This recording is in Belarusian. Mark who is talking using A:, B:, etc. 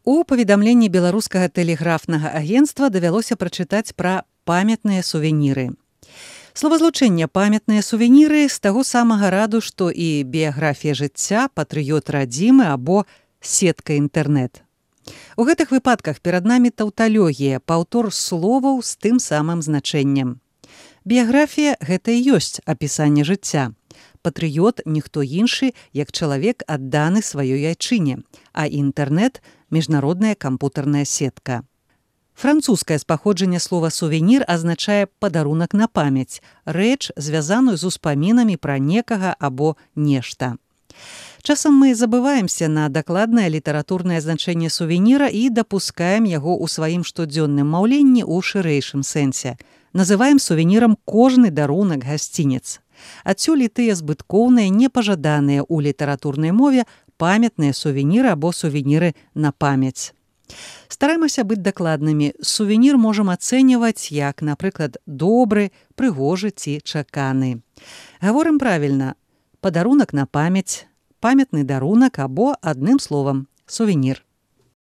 A: У паведамленні беларускага тэлеграфнага агенцтва давялося прачытаць пра памятныя сувеніры. Словазлучэнне памятныя сувеніры з таго самага раду, што і біяграфія жыцця, патрыёт радзімы або сетка інтэрнэт. У гэтых выпадках перад намі таўталогія, паўтор словаў з тым самым значэннем. Біяграфія – гэта і ёсць апісанне жыцця. Патрыёт – ніхто іншы, як чалавек адданы сваёй айчыне, а інтэрнэт – міжнародная кампутарная сетка. Французскае з паходжання слова «сувенір» азначае падарунак на памяць, рэч, звязаную з успамінамі пра некага або нешта. Часам мы забываемся на дакладнае літаратурнае значэнне сувеніра і дапускаем яго ў сваім штодзённым маўленні ў шырэйшым сэнсе. Называем сувенірам кожны дарунак, гасцінец. Адсюль і тыя збыткоўныя, непажаданыя ў літаратурнай мове памятныя сувеніры або сувеніры на памяць. Стараемся быць дакладнымі. Сувенір можам ацэньваць як, напрыклад, добры, прыгожы ці чаканы. Гаворым правільна. Падарунак на памяць, памятны дарунак або, адным словам, сувенір.